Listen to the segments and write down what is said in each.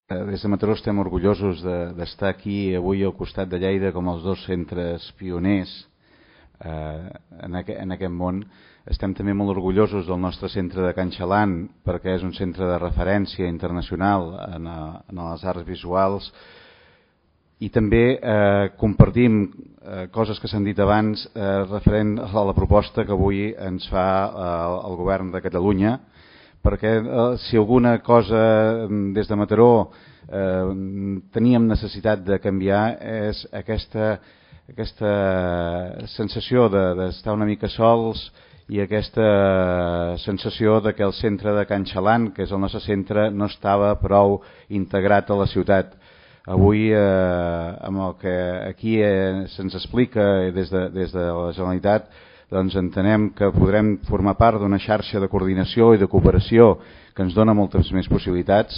Des de Mataró estem orgullosos d'estar aquí avui al costat de Lleida com els dos centres pioners en aquest món. Estem també molt orgullosos del nostre centre de Can Xalan perquè és un centre de referència internacional en les arts visuals i també compartim coses que s'han dit abans referent a la proposta que avui ens fa el govern de Catalunya, perquè si alguna cosa des de Mataró teníem necessitat de canviar és aquesta sensació d'estar una mica sols i aquesta sensació de que el centre de Can Xalan, que és el nostre centre, no estava prou integrat a la ciutat. Avui, amb el que aquí se'ns explica des de la Generalitat, doncs entenem que podrem formar part d'una xarxa de coordinació i de cooperació que ens dona moltes més possibilitats.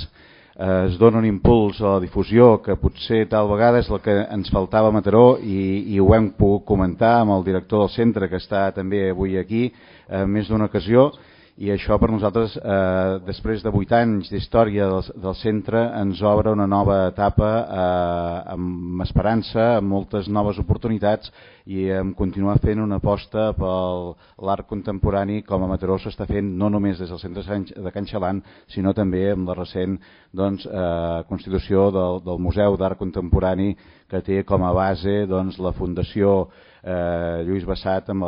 Es dona un impuls a la difusió que potser tal vegada és el que ens faltava a Mataró i ho hem pogut comentar amb el director del centre que està també avui aquí més d'una ocasió. I això per nosaltres, després de 8 anys d'història del centre, ens obre una nova etapa amb esperança, amb moltes noves oportunitats i amb continuar fent una aposta per l'art contemporani com a Mataró s'està fent no només des del centre de Can Xalan, sinó també amb la recent constitució del Museu d'Art Contemporani que té com a base la Fundació Lluís Bassat amb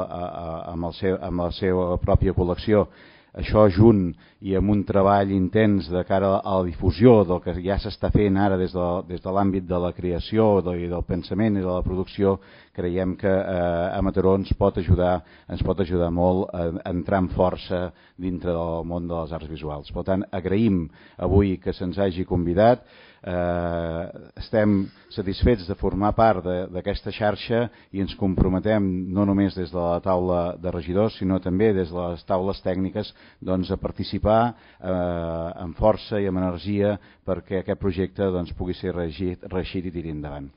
la seva pròpia col·lecció. Això junt i amb un treball intens de cara a la difusió del que ja s'està fent ara des de l'àmbit de la creació i del pensament i de la producció, creiem que a Mataró ens pot ajudar molt a entrar amb força dintre del món de les arts visuals. Per tant, agraïm avui que se'ns hagi convidat. Estem satisfets de formar part d'aquesta xarxa i ens comprometem no només des de la taula de regidors sinó també des de les taules tècniques a participar amb força i amb energia perquè aquest projecte pugui ser reeixit i tirar endavant.